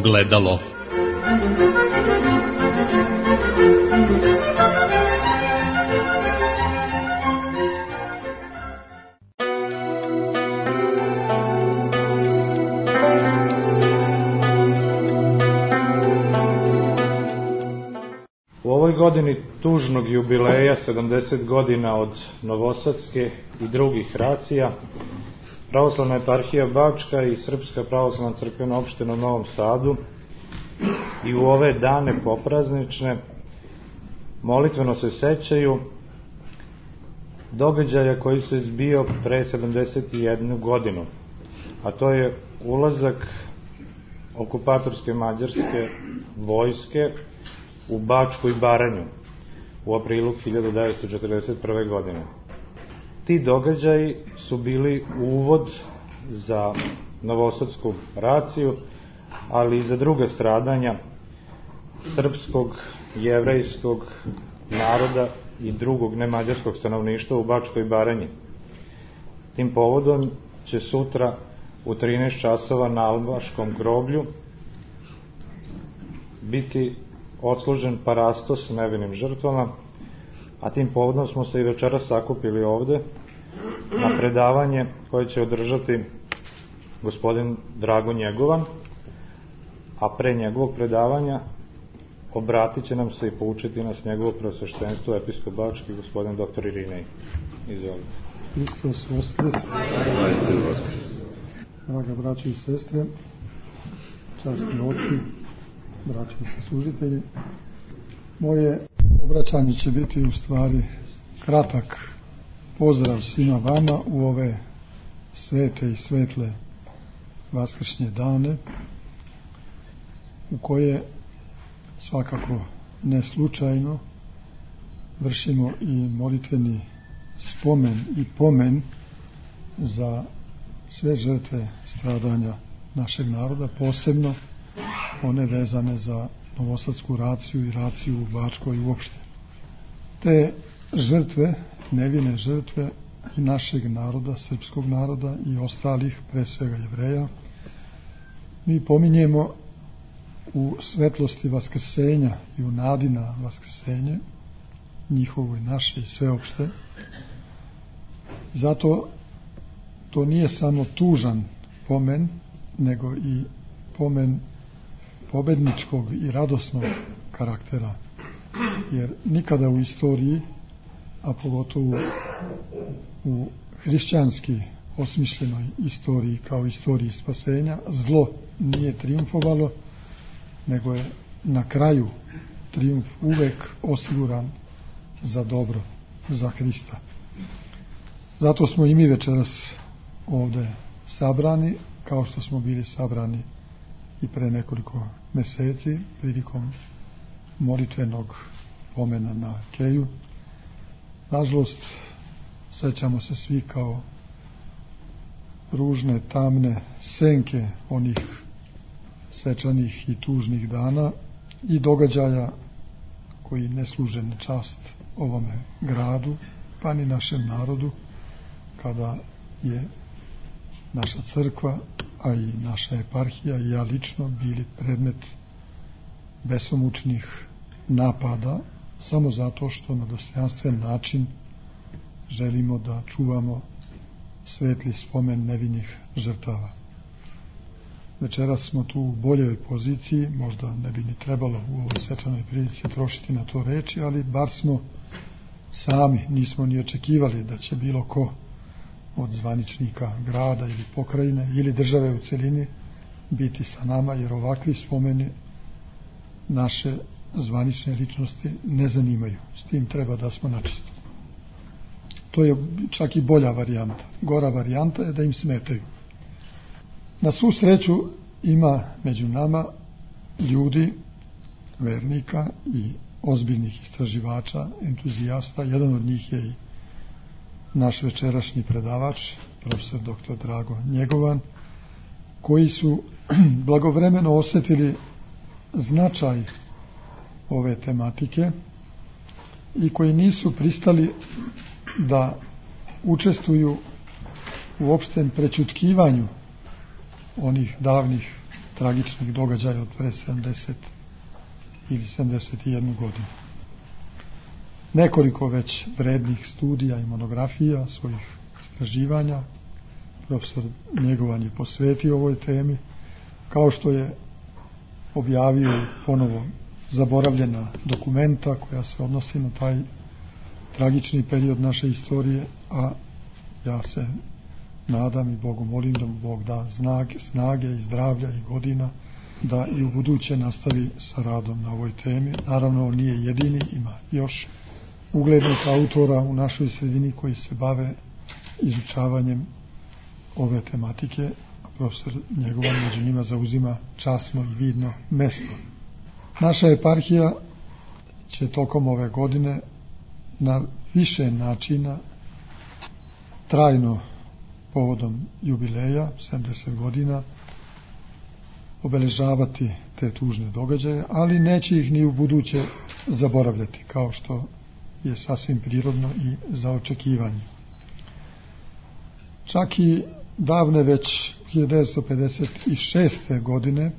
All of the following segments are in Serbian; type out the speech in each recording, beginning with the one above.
ogledalo. U ovoj godini tužnog jubileja 70 godina od Novosadske i drugih racija, Pravoslavna eparhija Bačka i Srpska pravoslavna crkvena opština u Novom Sadu i u ove dane popraznične molitveno se sećaju događaja koji se zbio pre 71 godinu, a to je ulazak okupatorske mađarske vojske u Bačku i Baranju u aprilu 1941. godine. Ti događaji su bili uvod za Novosadsku raciju, ali i za druga stradanja srpskog, jevrejskog naroda i drugog nemađarskog stanovništva u Bačkoj Baranji. Tim povodom će sutra u 13 časova na Albaškom groblju biti odslužen parastos nevinim žrtvama, a tim povodom smo se i večeras sakupili ovde na predavanje koje će održati gospodin Drago Njegovan, a pre njegovog predavanja obratit će nam se i poučiti nas njegovo preosveštenstvo episkop Bački, gospodin dr. Irinej. Izvolite. Hristos Voskres. Draga braćo i sestre, časni oci, braćo i saslužitelji, moje obraćanje će biti u stvari kratak pozdrav svima vama u ove svete i svetle vaskršnje dane, u koje svakako ne slučajno vršimo i molitveni spomen i pomen za sve žrtve stradanja našeg naroda, posebno one vezane za Novosadsku raciju i raciju u Bačkoj uopšte. Te žrtve, nevine žrtve i našeg naroda, srpskog naroda i ostalih, pre svega Jevreja, mi pominjemo u svetlosti vaskrsenja i u nadi na vaskrsenje, njihovo i naše i sveopšte. Zato to nije samo tužan pomen, nego i pomen pobedničkog i radosnog karaktera, jer nikada u istoriji, a pogotovo u hrišćanski osmišljenoj istoriji kao istoriji spasenja, zlo nije triumfovalo, nego je na kraju triumf uvek osiguran za dobro, za Hrista. Zato smo i mi večeras ovde sabrani, kao što smo bili sabrani i pre nekoliko meseci prilikom molitvenog pomena na Keju. Nažalost, sećamo se svi kao ružne, tamne senke onih svečanih i tužnih dana i događaja koji ne služe na čast ovome gradu, pa ni našem narodu, kada je naša crkva, a i naša eparhija i ja lično bili predmet besomučnih napada samo zato što na dostojanstven način želimo da čuvamo svetli spomen nevinih žrtava. Večeras smo tu u boljoj poziciji, možda ne bi ni trebalo u ovoj svečanoj prilici trošiti na to reči, ali bar smo sami, nismo ni očekivali da će bilo ko od zvaničnika grada ili pokrajine ili države u celini biti sa nama, jer ovakvi spomeni naše zvanične ličnosti ne zanimaju. S tim treba da smo načisto. To je čak i bolja varijanta. Gora varijanta je da im smetaju. Na svu sreću ima među nama ljudi, vernika i ozbiljnih istraživača, entuzijasta. Jedan od njih je i naš večerašnji predavač, profesor dr. Drago Njegovan, koji su blagovremeno osjetili značaj ove tematike i koji nisu pristali da učestvuju u opštem prećutkivanju onih davnih tragičnih događaja od pre 70 ili 71 godinu. Nekoliko već vrednih studija i monografija, svojih istraživanja profesor Njegovan je posvetio ovoj temi, kao što je objavio ponovo zaboravljena dokumenta koja se odnosi na taj tragični period naše istorije, a ja se nadam i Bogu molim da mu Bog da snage i zdravlja i godina da i u buduće nastavi sa radom na ovoj temi. Naravno, on nije jedini, ima još uglednih autora u našoj sredini koji se bave izučavanjem ove tematike, a profesor Njegovan među njima zauzima časno i vidno mesto. Naša eparhija će tokom ove godine na više načina trajno povodom jubileja 70 godina obeležavati te tužne događaje, ali neće ih ni u buduće zaboravljati, kao što je sasvim prirodno i za očekivanje. Čak i davne već 1956. godine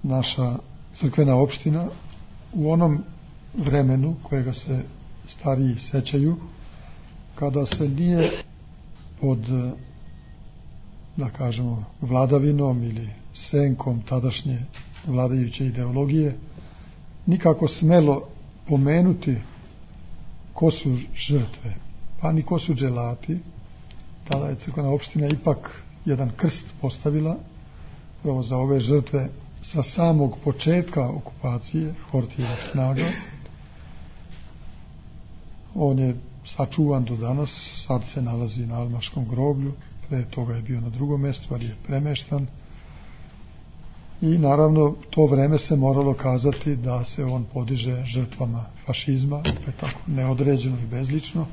naša crkvena opština u onom vremenu kojega se stariji sećaju, kada se nije pod, da kažemo, vladavinom ili senkom tadašnje vladajuće ideologije nikako smelo pomenuti ko su žrtve, pa ni ko su dželati. Tada je crkvena opština ipak jedan krst postavila pravo za ove žrtve sa samog početka okupacije Hortijevih snaga. On je sačuvan do danas, sad se nalazi na Almaškom groblju, pre toga je bio na drugom mjestu, ali je premeštan. I naravno to vreme se moralo kazati da se on podiže žrtvama fašizma, opet tako neodređeno i bezlično.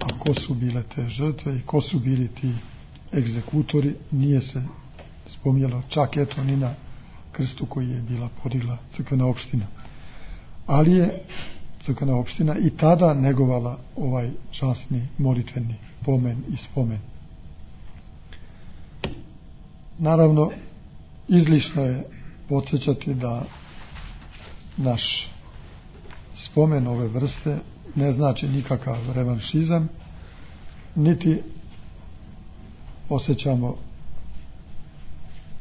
A ko su bile te žrtve i ko su bili ti egzekutori nije se spominjalo, čak eto ni na krstu koji je bila podigla crkvena opština. Ali je crkvena opština i tada negovala ovaj časni molitveni pomen i spomen. Naravno, izlišno je podsjećati da naš spomen ove vrste ne znači nikakav revanšizam, niti osjećamo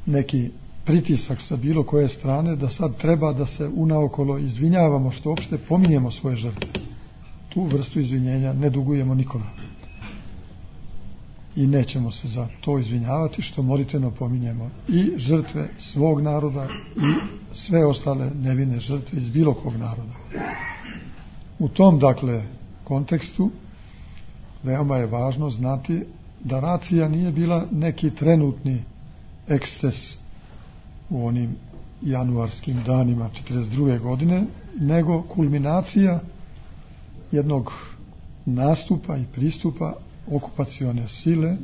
neki pritisak sa bilo koje strane da sad treba da se unaokolo izvinjavamo što uopšte pominjemo svoje žrtve. Tu vrstu izvinjenja ne dugujemo nikome. I nećemo se za to izvinjavati što molitveno pominjemo i žrtve svog naroda i sve ostale nevine žrtve iz bilo kog naroda. U tom, dakle, kontekstu veoma je važno znati da racija nije bila neki trenutni eksces u onim januarskim danima 1942. godine, nego kulminacija jednog nastupa i pristupa okupacione sile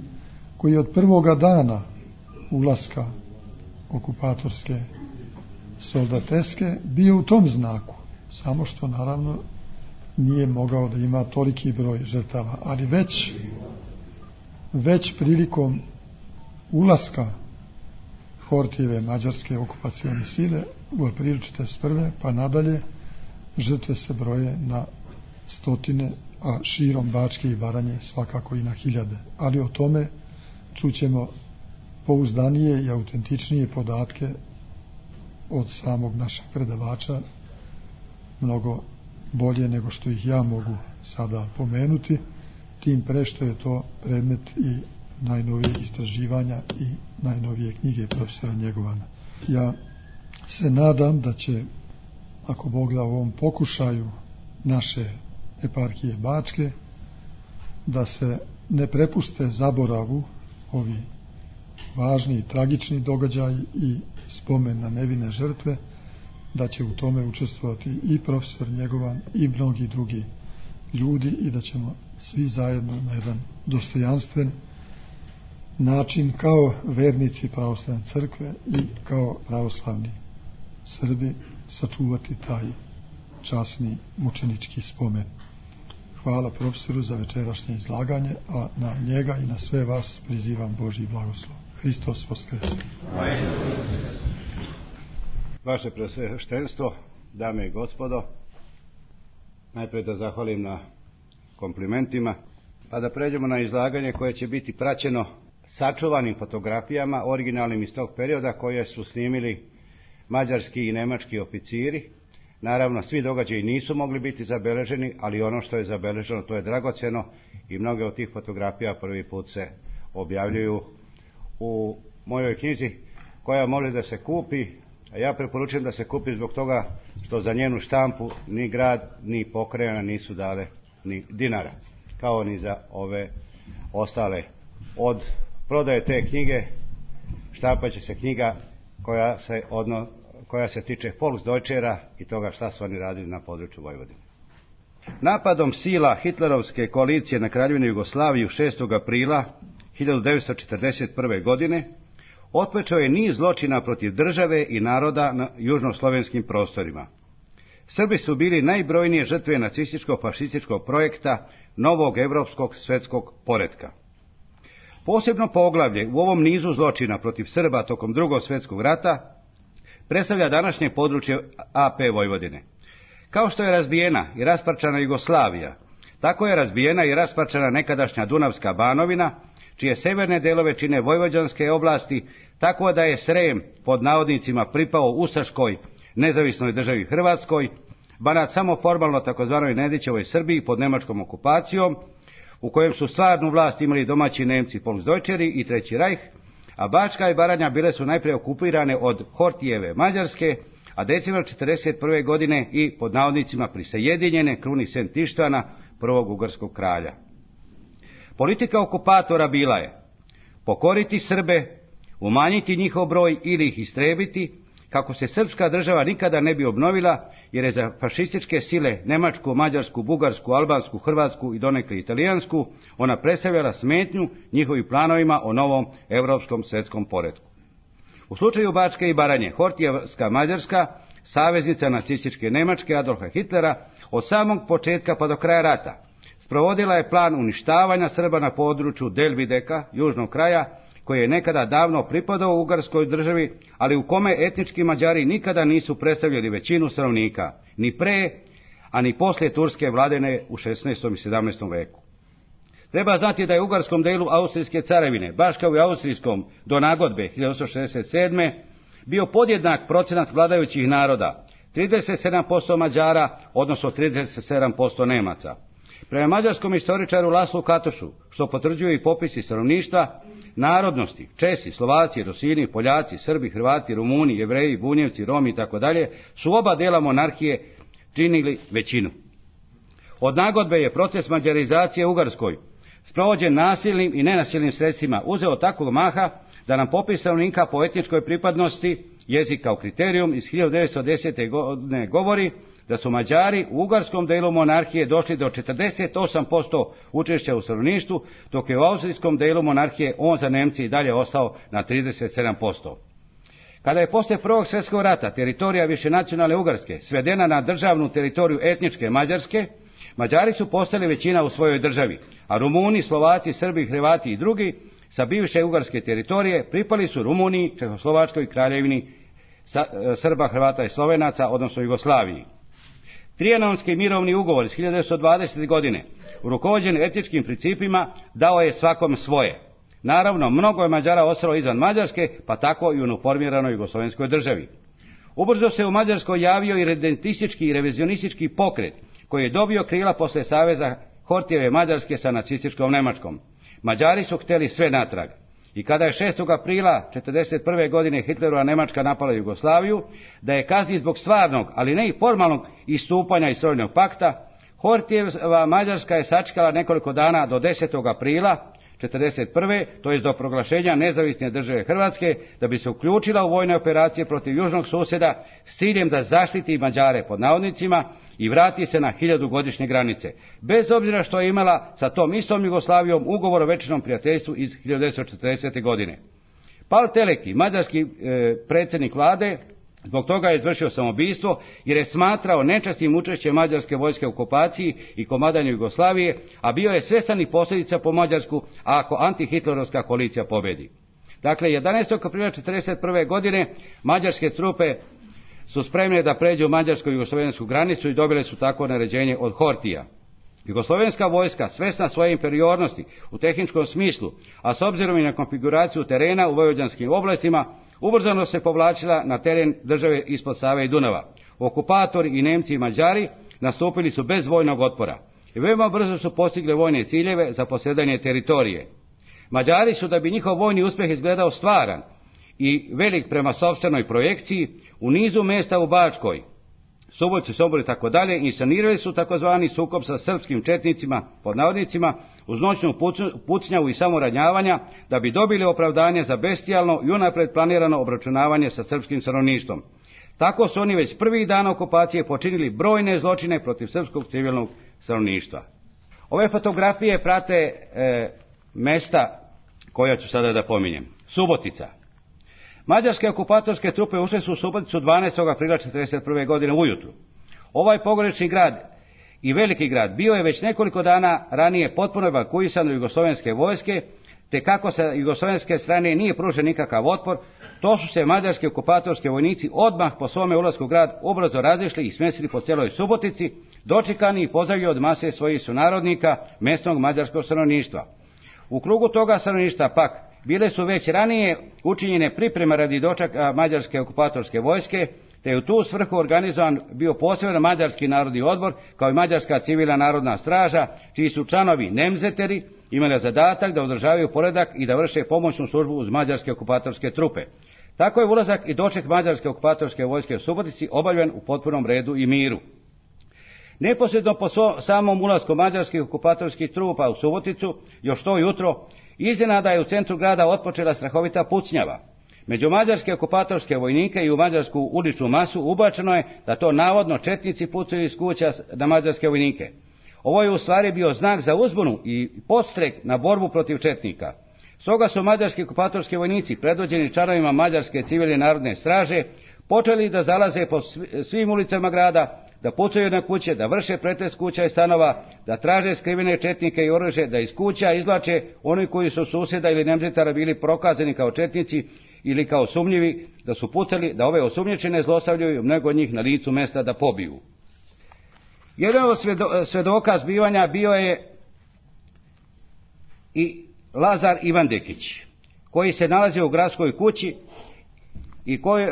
koji je od prvoga dana ulaska okupatorske soldateske bio u tom znaku, samo što naravno nije mogao da ima toliki broj žrtava, ali već prilikom ulaska Hortijeve mađarske okupacione sile u aprilu 1941. pa nadalje žrtve se broje na stotine, a širom Bačke i Baranje svakako i na hiljade. Ali o tome čućemo pouzdanije i autentičnije podatke od samog našeg predavača, mnogo bolje nego što ih ja mogu sada pomenuti, tim pre što je to predmet i najnovijeg istraživanja i najnovije knjige profesora Njegovana. Ja se nadam da će, ako Bog da, u ovom pokušaju naše eparhije Bačke, da se ne prepuste zaboravu ovi važni i tragični događaji i spomen na nevine žrtve, da će u tome učestvovati i profesor Njegovan i mnogi drugi ljudi i da ćemo svi zajedno na jedan dostojanstven način kao vernici pravoslavne crkve i kao pravoslavni Srbi sačuvati taj časni mučenički spomen. Hvala profesoru za večerašnje izlaganje, a na njega i na sve vas prizivam Božji blagoslov. Hristos Voskres. Vaše Preosveštenstvo, dame i gospodo, najprije da zahvalim na komplimentima, pa da pređemo na izlaganje koje će biti praćeno sačuvanim fotografijama, originalnim iz tog perioda, koje su snimili mađarski i nemački oficiri. Naravno, svi događaji nisu mogli biti zabeleženi, ali ono što je zabeleženo, to je dragoceno i mnoge od tih fotografija prvi put se objavljuju u mojoj knjizi, koja može da se kupi, a ja preporučujem da se kupi zbog toga što za njenu štampu ni grad, ni pokrajina nisu dale ni dinara, kao ni za ove ostale. Od prodaje te knjige štampat će se knjiga koja se tiče Volksdeutschera i toga šta su oni radili na području Vojvodine. Napadom sila hitlerovske koalicije na Kraljevinu Jugoslaviju 6. aprila 1941. godine otpočeo je niz zločina protiv države i naroda na južnoslovenskim prostorima. Srbi su bili najbrojnije žrtve nacističko-fašističkog projekta novog evropskog svetskog poretka. Posebno poglavlje u ovom nizu zločina protiv Srba tokom Drugog svjetskog rata predstavlja današnje područje AP Vojvodine. Kao što je razbijena i rasparčana Jugoslavija, tako je razbijena i rasparčana nekadašnja Dunavska Banovina, čije severne delove čine vojvođanske oblasti, tako da je Srem pod navodnicima pripao ustaškoj nezavisnoj državi Hrvatskoj, Banat samo formalno takozvanoj Nedićevoj Srbiji pod nemačkom okupacijom, u kojem su stvarnu vlast imali domaći Nemci Volksdeutscheri i Treći Rajh, a Bačka i Baranja bile su najprije okupirane od Hortijeve Mađarske, a decembar 1941. godine i pod navodnicima prisajedinjene kruni Sent Ištvana, prvog ugarskog kralja. Politika okupatora bila je pokoriti Srbe, umanjiti njihov broj ili ih istrebiti, kako se srpska država nikada ne bi obnovila, jer je za fašističke sile Nemačku, Mađarsku, Bugarsku, Albansku, Hrvatsku i donekle Italijansku ona predstavljala smetnju njihovim planovima o novom evropskom svetskom poretku. U slučaju Bačke i Baranje, Hortijevska Mađarska, saveznica nacističke Nemačke Adolfa Hitlera, od samog početka pa do kraja rata sprovodila je plan uništavanja Srba na području Delvideka, južnog kraja, koji je nekada davno pripadao Ugarskoj državi, ali u kome etnički Mađari nikada nisu predstavljali većinu stanovnika, ni pre, a ni poslije turske vladene u 16. i 17. veku. Treba znati da je u ugarskom delu Austrijske carevine, baš kao i austrijskom do nagodbe 1867. bio podjednak procenat vladajućih naroda, 37% Mađara, odnosno 37% Nemaca. Prema mađarskom istoričaru Laslu Katošu, što potvrđuju i popisi stanovništva, narodnosti, Česi, Slovaci, Rusini, Poljaci, Srbi, Hrvati, Rumuni, Jevreji, Bunjevci, Romi i tako dalje, su oba dela monarhije činili većinu. Od nagodbe je proces mađarizacije u Ugarskoj, sprovođen nasilnim i nenasilnim sredstvima, uzeo takvog maha da nam popis stanovnika po etničkoj pripadnosti, jezik kao kriterijum iz 1910. godine govori da su Mađari u ugarskom delu monarhije došli do 48% učešća u stanovništvu, dok je u austrijskom delu monarhije on za Nemci i dalje ostao na 37%. Kada je poslije Prvog svjetskog rata teritorija višenacionalne Ugarske svedena na državnu teritoriju etničke Mađarske, Mađari su postali većina u svojoj državi, a Rumuni, Slovaci, Srbi, Hrvati i drugi sa bivše ugarske teritorije pripali su Rumuniji, Čehoslovačkoj kraljevini Srba, Hrvata i Slovenaca, odnosno Jugoslaviji. Trijanonski mirovni ugovor iz 1920. godine, rukovođen etničkim principima, dao je svakom svoje. Naravno, mnogo je Mađara ostalo izvan Mađarske, pa tako i u uniformiranoj jugoslovenskoj državi. Ubrzo se u Mađarskoj javio i redentistički i revizionistički pokret, koji je dobio krila posle saveza Hortijeve Mađarske sa nacističkom Nemačkom. Mađari su hteli sve natrag. I kada je 6. aprila 1941. godine Hitlerova Nemačka napala Jugoslaviju, da je kazni zbog stvarnog, ali ne i formalnog istupanja iz Sovjetskog pakta, Hortijeva Mađarska je sačekala nekoliko dana do 10. aprila 1941. to je do proglašenja nezavisne države Hrvatske, da bi se uključila u vojne operacije protiv južnog susjeda s ciljem da zaštiti Mađare pod navodnicima i vrati se na 1000-godišnje granice, bez obzira što je imala sa tom istom Jugoslavijom ugovor o večnom prijateljstvu iz 1940. godine. Pal Teleki, mađarski predsjednik vlade, zbog toga je izvršio samoubistvo jer je smatrao nečasnim učešće mađarske vojske u okupaciji i komadanju Jugoslavije, a bio je svjestan i posljedica po Mađarsku ako antihitlerovska koalicija pobedi. Dakle, 11. aprila 1941. godine mađarske trupe su spremne da pređu mađarsko-jugoslovensku granicu i dobile su tako naređenje od Hortija. Jugoslovenska vojska, svesna svoje inferiornosti u tehničkom smislu, a s obzirom i na konfiguraciju terena u vojvođanskim oblastima, ubrzano se povlačila na teren države ispod Save i Dunava. Okupatori i Nemci i Mađari nastupili su bez vojnog otpora i veoma brzo su postigli vojne ciljeve za posjedanje teritorije. Mađari su, da bi njihov vojni uspjeh izgledao stvaran i velik prema sopstvenoj projekciji, u nizu mjesta u Bačkoj, Subotici, Somboru i tako dalje, inscenirali su takozvani sukob sa srpskim četnicima, pod navodnicima, uz noćnu pucnjavu i samoranjavanja, da bi dobili opravdanje za bestijalno i unapred planirano obračunavanje sa srpskim stanovništvom. Tako su oni već prvih dana okupacije počinili brojne zločine protiv srpskog civilnog stanovništva. Ove fotografije prate mesta koja ću sada da pominjem. Subotica. Mađarske okupatorske trupe ušle su u Suboticu 12. aprila 1941. godine ujutru. Ovaj pogranični grad i veliki grad bio je već nekoliko dana ranije potpuno evakuisan od jugoslovenske vojske, te kako sa jugoslovenske strane nije pružen nikakav otpor, to su se mađarski okupatorski vojnici odmah po svome ulasku u grad ubrzo razišli i smjestili po cijeloj Subotici, dočekani i pozdravljeni od mase svojih sunarodnika mjesnog mađarskog stanovništva. U krugu toga stanovništva pak bile su već ranije učinjene pripreme radi dočeka mađarske okupatorske vojske, te je u tu svrhu organizovan bio poseban mađarski narodni odbor, kao i mađarska civilna narodna straža, čiji su članovi nemzeteri imali zadatak da održavaju poredak i da vrše pomoćnu službu uz mađarske okupatorske trupe. Tako je ulazak i doček mađarske okupatorske vojske u Subotici obavljen u potpunom redu i miru. Neposredno po samom ulasku mađarskih okupatorskih trupa u Suboticu, još to jutro, iznenada je u centru grada otpočela strahovita pucnjava. Među mađarske okupatorske vojnike i u mađarsku uličnu masu ubačeno je da to navodno četnici pucaju iz kuća na mađarske vojnike. Ovo je u stvari bio znak za uzbunu i podstrek na borbu protiv četnika. Stoga su mađarski okupatorski vojnici, predvođeni članovima mađarske civilne narodne straže, počeli da zalaze po svim ulicama grada, da pucaju na kuće, da vrše pretres kuća i stanova, da traže skrivene četnike i oružje, da iz kuća izvlače oni koji su susjeda ili nemzetara bili prokazani kao četnici ili kao sumnjivi, da su pucali, da ove osumnjičene zlostavljaju, mnogo od njih na licu mesta da pobiju. Jedan od svedoka zbivanja bio je i Lazar Ivandekić, koji se nalazio u gradskoj kući i koji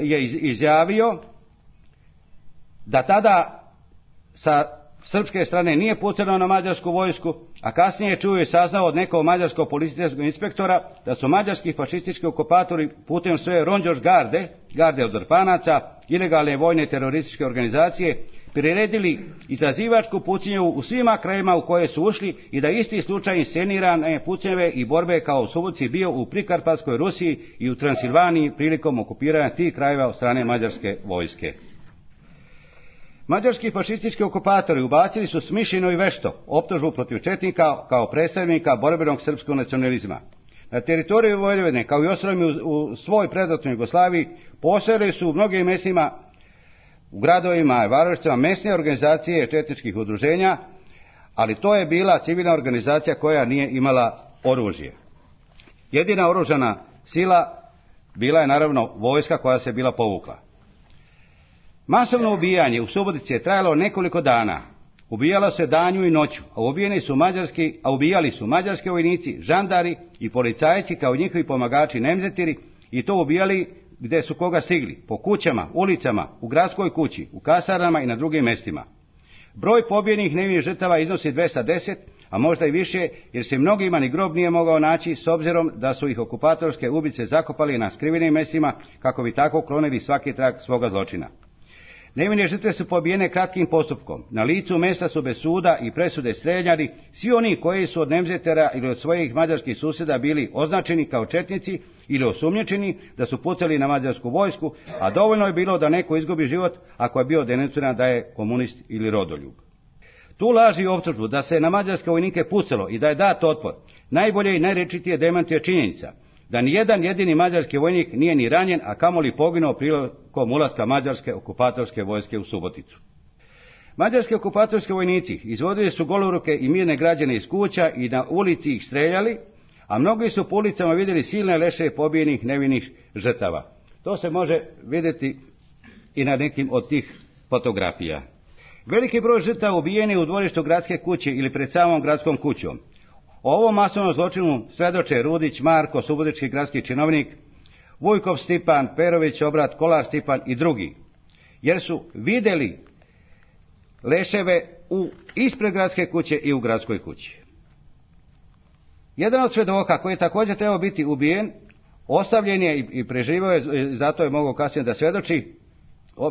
je izjavio da tada sa srpske strane nije pucano na mađarsku vojsku, a kasnije je čuo i saznao od nekog mađarskog policijskog inspektora da su mađarski fašistički okupatori putem svoje Ronđoš garde od Drpanaca, ilegalne vojne terorističke organizacije, priredili izazivačku pucnju u svima krajima u koje su ušli i da isti slučaj inscenirane pucnjeve i borbe kao u Subotici bio u Prikarpatskoj Rusiji i u Transilvaniji prilikom okupiranja tih krajeva od strane mađarske vojske. Mađarski fašistički okupatori ubacili su smišljeno i vešto optužbu protiv četnika kao predstavnika borbenog srpskog nacionalizma. Na teritoriju Vojvodine, kao i ostalima u svoj predratnoj Jugoslaviji, postojale su u mnogim mjestima, u gradovima i varošištima mesne organizacije četničkih udruženja, ali to je bila civilna organizacija koja nije imala oružje. Jedina oružana sila bila je naravno vojska koja se bila povukla. Masovno ubijanje u Subotici je trajalo nekoliko dana. Ubijalo se danju i noću, a ubijali su mađarski vojnici, žandari i policajci kao njihovi pomagači nemzetiri, i to ubijali gdje su koga stigli, po kućama, ulicama, u gradskoj kući, u kasarnama i na drugim mjestima. Broj pobijenih nevinih žrtava iznosi 210, a možda i više, jer se mnogima ni grob nije mogao naći, s obzirom da su ih okupatorske ubice zakopali na skrivenim mjestima kako bi tako klonili svaki trag svoga zločina. Nevine žrtve su pobijene kratkim postupkom. Na licu mjesta su bez suda i presude streljani svi oni koji su od nemzetera ili od svojih mađarskih susjeda bili označeni kao četnici ili osumnjičeni da su pucali na mađarsku vojsku, a dovoljno je bilo da neko izgubi život ako je bio denunciran da je komunist ili rodoljub. Tu laži i optužbu da se na mađarske vojnike pucalo i da je dat otpor najbolje i najrečitije demantuje činjenica da nijedan jedini mađarski vojnik nije ni ranjen, a kamoli poginuo prilikom ulaska mađarske okupatorske vojske u Suboticu. Mađarski okupatorski vojnici izvodili su goloruke i mirne građane iz kuća i na ulici ih streljali, a mnogi su po ulicama vidjeli silne leševe pobijenih nevinih žrtava. To se može vidjeti i na nekim od tih fotografija. Veliki broj žrtava ubijeni u dvorištu gradske kuće ili pred samom gradskom kućom. O ovom masovnom zločinu svedoče Rudić Marko, subotički gradski činovnik, Vujkov Stipan, Perović Obrat, Kolar Stipan i drugi, jer su vidjeli leševe ispred gradske kuće i u gradskoj kući. Jedan od svedoka koji je također trebao biti ubijen, ostavljen je i preživio je, zato je mogao kasnije da svjedoči,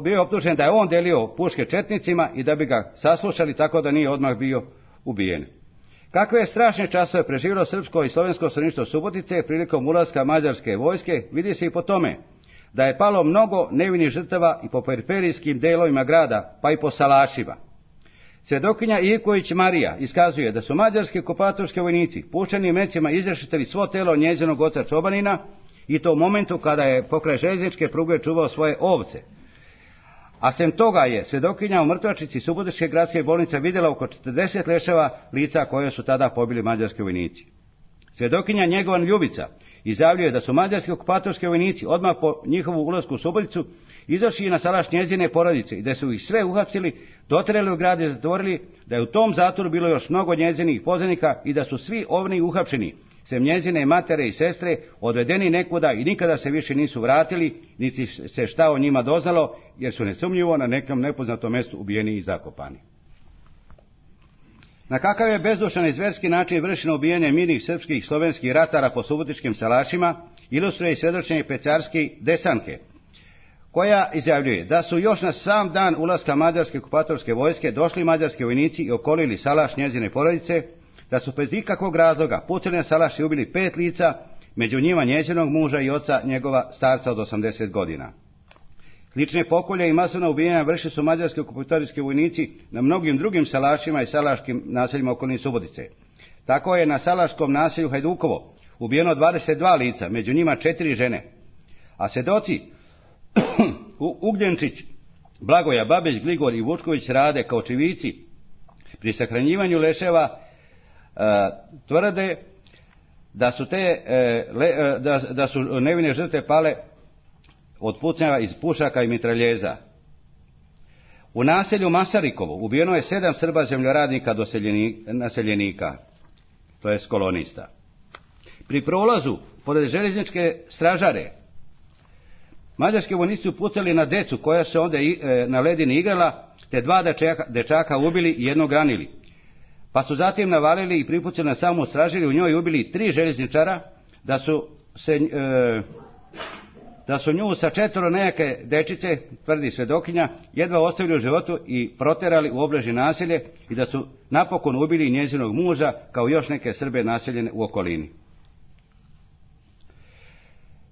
bio je optužen da je on delio puške četnicima i da bi ga saslušali, tako da nije odmah bio ubijen. Kakve je strašne časove preživjelo srpsko i slovensko stanovništvo Subotice prilikom ulaska mađarske vojske, vidi se i po tome da je palo mnogo nevinih žrtava i po periferijskim delovima grada, pa i po salašima. Svjedokinja Ivković Marija iskazuje da su mađarski okupatorski vojnici puščanim mecima izrešetili svo telo njezinog oca Čobanina, i to u momentu kada je pokraj željezničke pruge čuvao svoje ovce. A sem toga je svjedokinja u mrtvačnici Subotičke gradske bolnice vidjela oko 40 leševa lica koje su tada pobili mađarski vojnici. Svjedokinja Njegovan Ljubica izjavljuje da su mađarski okupatorski vojnici odmah po njihovu ulasku u Suboticu izašli na salaš njezine porodice i da su ih sve uhapsili, doterali u grad i zatvorili, da je u tom zatvoru bilo još mnogo njezinih poznanika i da su svi oni uhapšeni, sem njezine matere i sestre, odvedeni nekuda i nikada se više nisu vratili, niti se šta o njima doznalo, jer su nesumnjivo na nekom nepoznatom mjestu ubijeni i zakopani. Na kakav je bezdušan i zverski način vršeno ubijanje mirnih srpskih i slovenskih ratara po subotičkim salašima, ilustruje i svjedočenje Pecarske Desanke, koja izjavljuje da su još na sam dan ulaska mađarske okupatorske vojske došli mađarski vojnici i okolili salaš njezine porodice, da su bez ikakvog razloga pucali na salaš i ubili 5 lica, među njima njezinog muža i oca njegova starca od 80 godina. Slične pokolje i masovna ubijanja vršili su mađarski okupatorski vojnici na mnogim drugim salašima i salaškim naseljima okolnih Subotice. Tako je na salaškom naselju Hajdukovo ubijeno 22 lica, među njima 4 žene. A svjedoci Ugljenčić, Blagoja, Babić, Gligor i Vučković Rade kao očevici pri sahranjivanju leševa tvrde da su da su nevine žrtve pale od pucnjava iz pušaka i mitraljeza. U naselju Masarikovo ubijeno je 7 Srba zemljoradnika naseljenika, to je kolonista. Pri prolazu pored željezničke stražare mađarski vojnici su pucali na decu koja se onda na ledini igrala, te 2 dečaka ubili i jednog ranili. Pa su zatim navalili i pripucali na samu stražariju, u njoj ubili 3 željezničara, da su nju sa 4 nejake dečice, tvrdi svjedokinja, jedva ostavili u životu i proterali u obližnje naselje i da su napokon ubili njezinog muža kao još neke Srbe naseljene u okolini.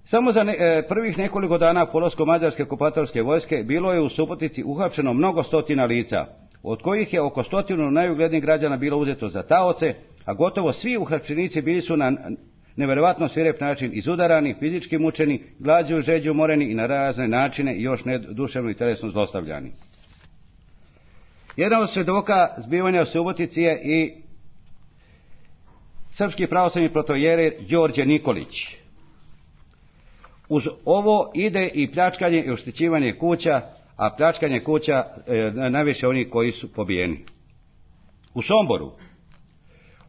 Samo za prvih nekoliko dana polasku mađarske okupatorske vojske bilo je u Subotici uhapšeno mnogo stotina lica, od kojih je oko 100 najuglednijih građana bilo uzeto za taoce, a gotovo svi uhapšenici bili su na nevjerovatno svirep način izudarani, fizički mučeni, glađu, žeđu, moreni i na razne načine još duševno i telesno zlostavljani. Jedan od svjedoka zbivanja u Subotici je i srpski pravoslavni protojerer Đorđe Nikolić. Uz ovo ide i pljačkanje i oštećivanje kuća, a pljačkanje kuća najviše onih koji su pobijeni.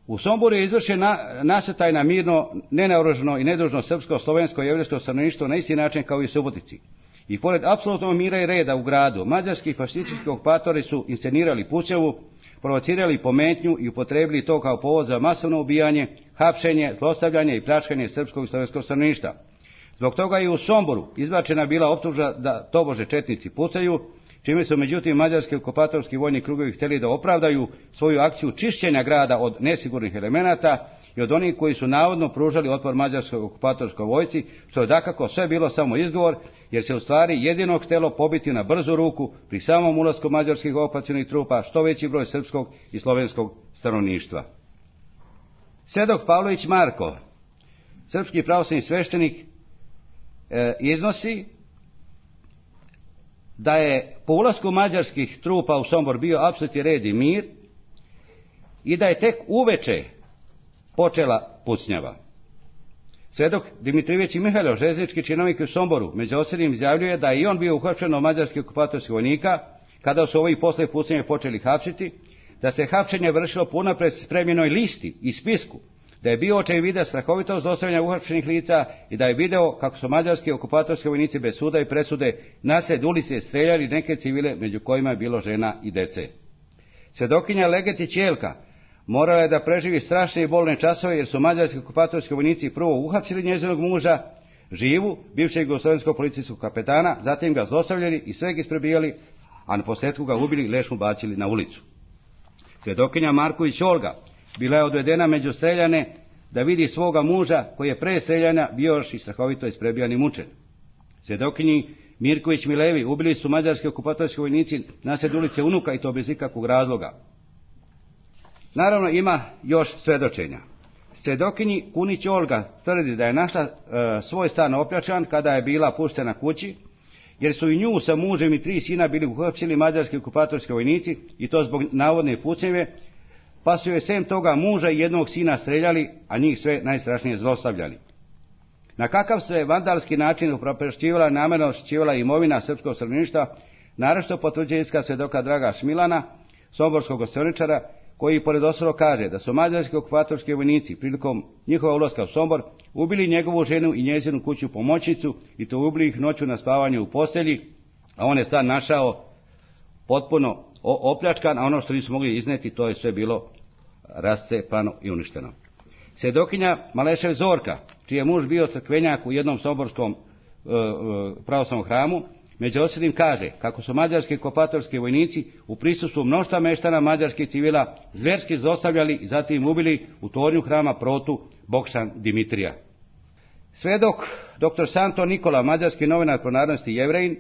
U Somboru je izvršen nasrtaj na mirno, nenaoružano i nedužno srpsko, slovensko i jevrijsko stanovništvo na isti način kao i u Subotici. I pored apsolutnog mira i reda u gradu, mađarski fašistički okupatori su inscenirali pučevu, provocirali pometnju i upotrebili to kao povod za masovno ubijanje, hapšenje, zlostavljanje i pljačkanje srpskog i slovenskog stanovništva. Zbog toga i u Somboru izbačena bila optužba da tobože četnici pucaju, čime su međutim mađarski okupatorski vojni krugovi htjeli da opravdaju svoju akciju čišćenja grada od nesigurnih elemenata i od onih koji su navodno pružali otpor mađarskoj okupatorskoj vojsci, što je dakako sve bilo samo izgovor, jer se u stvari jedino htjelo pobiti na brzu ruku pri samom ulasku mađarskih okupacionih trupa što veći broj srpskog i slovenskog stanovništva. Svjedok Pavlović Marko, srpski pravoslavni sveštenik, iznosi da je po ulasku mađarskih trupa u Sombor bio apsolutni red i mir i da je tek uveče počela pucnjava. Svedok Dimitrijević i Mihajlo, željeznički činovnik u Somboru, među ostalim izjavljuje da je i on bio uhapšen od mađarskih okupatorskih vojnika, kada su ovi posle pucnjeve počeli hapsiti, da se hapšenje vršilo po unapred spremljenoj listi i spisku, da je bio očevidna strahovitost zlostavljanja uhapšenih lica i da je video kako su mađarski okupatorski vojnici bez suda i presude nasred ulice streljali neke civile, među kojima je bilo žena i dece. Svedokinja Legetić Jelka morala je da preživi strašne i bolne časove, jer su mađarski okupatorski vojnici prvo uhapsili njezinog muža, živu, bivšeg jugoslovenskog policijskog kapetana, zatim ga zlostavljali i sve ga isprebijali, a na posljedku ga ubili i leš mu bacili na ulicu. Svedokinja Marković Olga bila je odvedena među streljane da vidi svoga muža, koji je pre streljanja bio još i strahovito isprebijan i mučen. Svedokinji Mirković Milevi ubili su mađarski okupatorski vojnici nasred ulice unuka, i to bez ikakvog razloga. Naravno, ima još svedočenja. Svedokinji Kunić Olga tvrdi da je našla svoj stan opljačkan kada je bila puštena kući, jer su i nju sa mužem i 3 sina bili uhapsili mađarski okupatorski vojnici, i to zbog navodne pucnjeve, pa su joj sem toga muža i jednog sina streljali, a njih sve najstrašnije zlostavljali. Na kakav se vandalski način upropašćivala, namjerno oštećivala imovina srpskog stanovništva, naročito potvrđuje iskaz svedoka Draga Šmilana, somborskog gostioničara, koji pored ostalog kaže da su mađarski okupatorski vojnici prilikom njihova ulaska u Sombor ubili njegovu ženu i njezinu kuću pomoćnicu, i to ubili ih noću na spavanju u postelji, a on je stan našao potpuno opljačkan, a ono što nisu mogli izneti, to je sve bilo rascepano i uništeno. Svedokinja Malešev Zorka, čiji je muž bio crkvenjak u jednom somborskom pravoslavnom hramu, među ostalim kaže kako su mađarski okupatorski vojnici u prisustvu mnoštva meštana mađarskih civila zverski zlostavljali i zatim ubili u tornju hrama protu Bokšan Dimitrija. Svedok dr. Santo Nikola, mađarski novinar po narodnosti Jevrejin,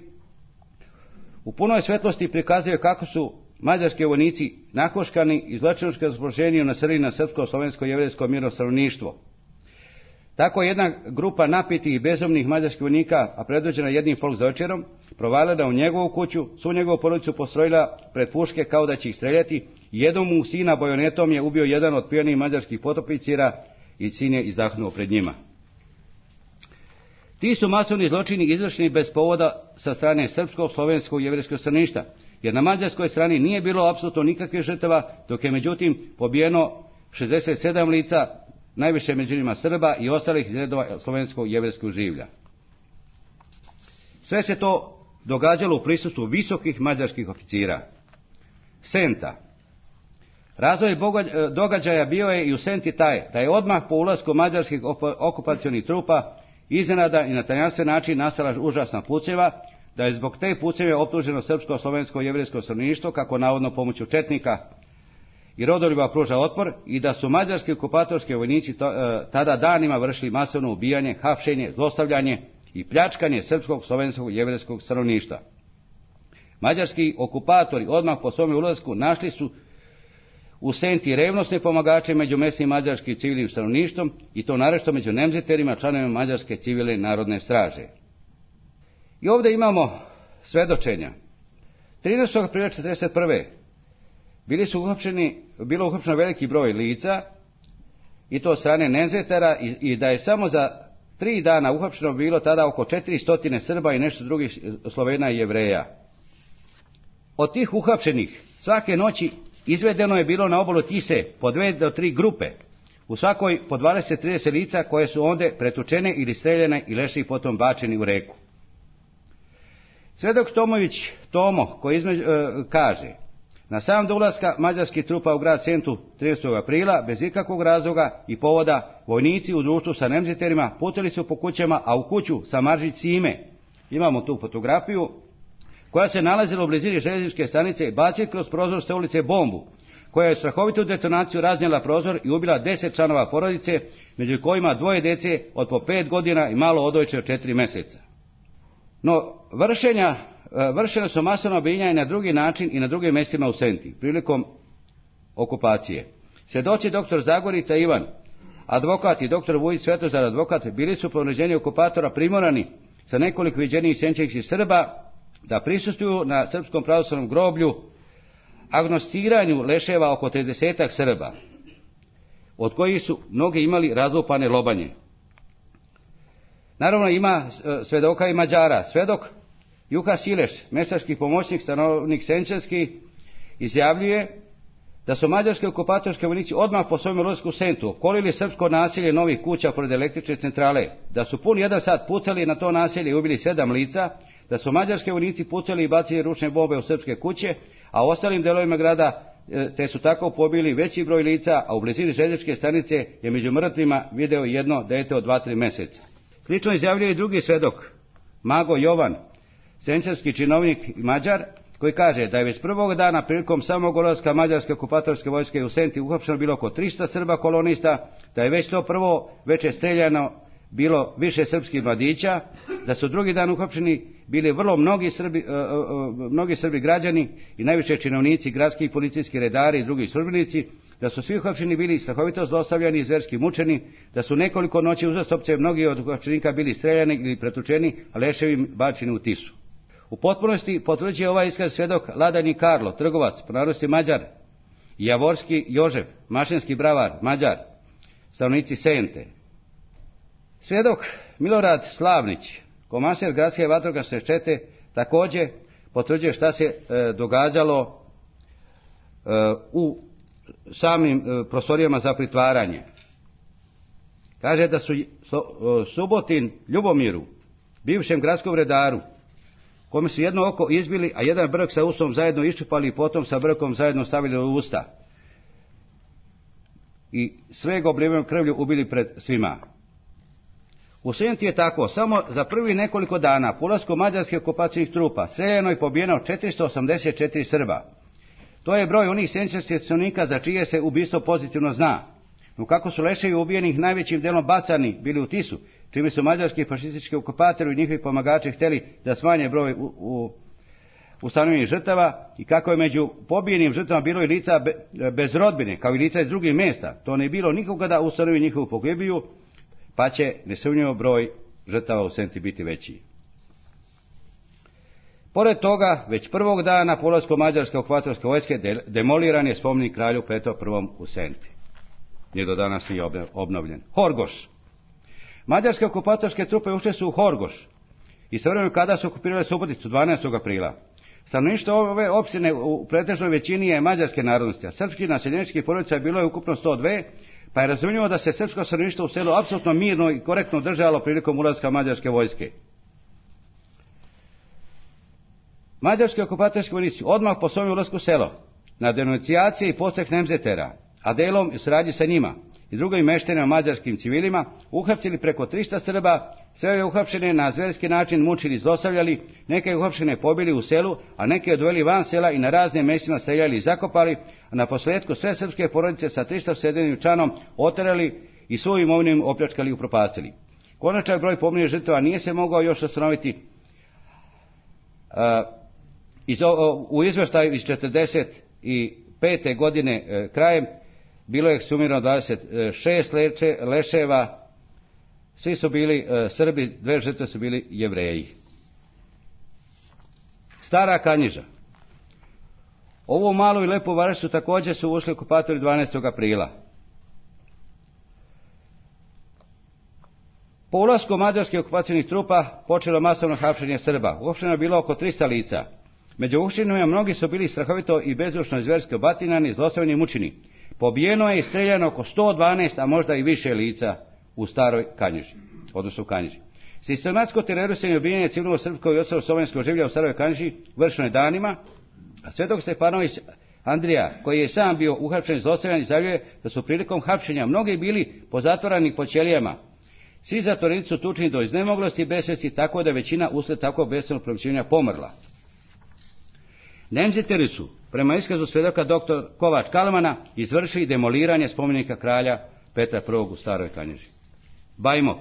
u punoj svetlosti prikazuje kako su mađarski vojnici nakoškani i zločinački raspoloženju nasrli na srpsko, slovensko i jevrejsko mirno stanovništvo. Tako jedna grupa napitih i bezumnih mađarskih vojnika, a predvođena jednim folksdojčerom, provalila u njegovu kuću, svu njegovu porodicu postrojila pred puške kao da će ih streljati, i jednom mu sina bajonetom je ubio jedan od pijanih mađarskih potopicira i sin je izdahnuo pred njima. Ti su masovni zločini izvršeni bez povoda sa strane srpskog, slovenskog i jevrejskog stanovništva, jer na mađarskoj strani nije bilo apsolutno nikakvih žrtava, dok je međutim pobijeno 67 lica, najviše među njima Srba i ostalih iz redova slovenskog i jevrejskog življa. Sve se to događalo u prisustvu visokih mađarskih oficira. Senta. Razvoj događaja bio je i u Senti taj, da je odmah po ulasku mađarskih okupacionih trupa iznenada i na tajanstven način nastala užasna pucnjeva, da je zbog te pucnjeve optuženo srpsko, slovensko i jevrejsko stanovništvo, kako navodno pomoću četnika i rodoljuba pruža otpor, i da su mađarski okupatorski vojnici tada danima vršili masovno ubijanje, hapšenje, zlostavljanje i pljačkanje srpskog, slovenskog i jevrejskog stanovništva. Mađarski okupatori odmah po svome ulasku našli su u Senti revnosne pomagače među mesnim mađarskim civilnim stanovništvom, i to naročito među nemziterima, članovima mađarske civilne narodne straže. I ovdje imamo svedočenja. 13. aprila 1941. bilo uhapšeno veliki broj lica, i to od strane nemzetera, i da je samo za 3 dana uhapšeno bilo tada oko 400 Srba i nešto drugih Slovena i Jevreja. Od tih uhapšenih svake noći izvedeno je bilo na obalu Tise po 2 do 3 grupe, u svakoj po 20-30 lica, koje su ondje pretučene ili streljene i leši potom bačeni u reku. Svedok Tomović Tomo, koji kaže: na sam do ulaska mađarskih trupa u grad Sentu 13. aprila, bez ikakvog razloga i povoda, vojnici u društvu sa nemziterima putili su po kućama, a u kuću sa Maržić Sime, imamo tu fotografiju, koja se nalazila u blizini željezničke stanice, bacili kroz prozor sa ulice bombu, koja je strahovitu detonaciju raznijela prozor i ubila 10 članova porodice, među kojima 2 djece od po 5 godina i malo odojče od 4 mjeseca. No, vršene su masovno ubijanja i na drugi način i na drugim mjestima u Senti, prilikom okupacije. Svjedoci dr. Zagorica Ivan, advokat, i dr. Vujić Svetozar, advokat, bili su po naređenju okupatora primorani sa nekoliko viđenijih senčevih Srba da prisustvuju na srpskom pravoslavnom groblju agnosticiranju leševa oko 30 Srba, od kojih su mnogi imali razlupane lobanje. Naravno ima svedoka i Mađara. Svedok Juha Sileš, mesarski pomoćnik, stanovnik Senčanski, izjavljuje da su mađarski okupatorski vojnici odmah po svojem ulasku u Sentu opkolili srpsko naselje novih kuća pored električne centrale, da su pun 1 sat pucali na to naselje i ubili 7 lica, da su mađarski vojnici pucali i bacili ručne bombe u srpske kuće, a u ostalim delovima grada te su tako pobili veći broj lica, a u blizini željezničke stanice je među mrtvima video jedno dete od 2-3 meseca. Slično izjavljuje i drugi svedok, Mago Jovan, senčanski činovnik i Mađar, koji kaže da je već prvog dana prilikom samog ulaska mađarske okupatorske vojske u Senti uhapšeno bilo oko 300 Srba kolonista, da je već to prvo veče streljano bilo više srpskih mladića, da su drugi dan uhapšeni bili vrlo mnogi Srbi građani i najviše činovnici, gradski i policijski redari i drugi službenici, da su svi uhapšeni bili strahovito zlostavljani i zverski mučeni, da su nekoliko noći uzastopce mnogi od uhapšenika bili streljani ili pretučeni, a leševi bačeni u Tisu. U potpunosti potvrđuje ovaj iskaz svedok Ladani Karlo, trgovac, po narodnosti Mađar, i Javorski Jožef, mašinski bravar, Mađar, stanovnici Sente. Svedok Milorad Slavnić, komaser gradske vatrogasne čete, također potvrđuje šta se događalo u samim prostorijama za pritvaranje. Kaže da su Subotin Ljubomiru, bivšem gradskom redaru, kome su jedno oko izbili, a jedan brk sa usom zajedno iščupali i potom sa brkom zajedno stavili u usta. I sve ga oblivenom krvlju ubili pred svima. U Senti je tako, samo za prvi nekoliko dana po ulasku mađarskih okupacijnih trupa streljano i pobijeno 484 Srba. To je broj onih senčanskih stanovnika za čije se ubistvo pozitivno zna. No kako su leševi ubijenih najvećim delom bacani bili u Tisu, čime su mađarski fašistički okupatori i njihovi pomagači htjeli da smanje broj ustanovljenih žrtava, i kako je među pobijenim žrtvama bilo i lica bez rodbine, kao i lica iz drugih mjesta, to ne bilo nikoga da ustanovi njihovu pogibiju, pa će nesumnjivo broj žrtava u Senti biti veći. Pored toga, već prvog dana po ulasku mađarske okupatorske vojske demoliran je spomenik kralju Petru I u Senti. Nije do danas nije obnovljen. Horgoš. Mađarske okupatorske trupe ušle su u Horgoš i svojevremeno kada su okupirale Suboticu 12. aprila. Stanovništvo ove opštine u pretežnoj većini je mađarske narodnosti, a srpskih naseljeničkih porodica bilo je ukupno 102, pa je razumljivo da se srpsko stanovništvo u selu apsolutno mirno i korektno držalo prilikom ulaska mađarske vojske. Mađarski okupatorski vojnici odmah po svom ulasku u selo, na denuncijacije i postreh Nemzetera, a delom i saradnji sa njima i drugim meštenima mađarskim civilima, uhapsili preko 300 Srba, sve je uhapšene na zverski način mučili i zlostavljali, neke uhapšene pobili u selu, a neke odveli van sela i na raznim mjestima streljali i zakopali, a na posljedku sve srpske porodice sa 307 članom oterali i svoju imovinu opljačkali i upropastili. Konačan broj poginulih žrtava nije se mogao još ustanoviti. U izvještaju iz 45. godine krajem bilo je ekshumirano 26 leševa, svi su bili Srbi, 2 žrtve su bili Jevreji. Stara Kanjiža. Ovu malu i lepu varošicu također su ušli okupatori 12. aprila. Po ulasku mađarskih okupacijnih trupa počelo masovno hapšenje Srba. Uhapšeno je bilo oko 300 lica. Među uhapšenima mnogi su bili strahovito i bezdušno i zverski obatinani, zlostavljani i mučeni. Pobijeno je i streljano oko 112, a možda i više lica u Staroj Kanjiži, odnosno u Kanjiži. Sistematsko terorisanje i ubijanje civilnog srpskog i ostalog slovenskog življa u Staroj Kanjiži vršeno je danima, a svedok Stefanović Andrija, koji je sam bio uhapšen i zlostavljan, izjavljuje da su prilikom hapšenja mnogi bili pozatvorani po ćelijama. Svi zatvorenici su tučeni do iznemoglosti i besvesti, tako da je većina usled takvog bespravnog promišljenja pomrla. Nemzeteri su, prema iskazu svedoka dr. Kovač Kalmana, izvršili demoliranje spomenika kralja Petra I u Staroj Kanjiži. Bajmok.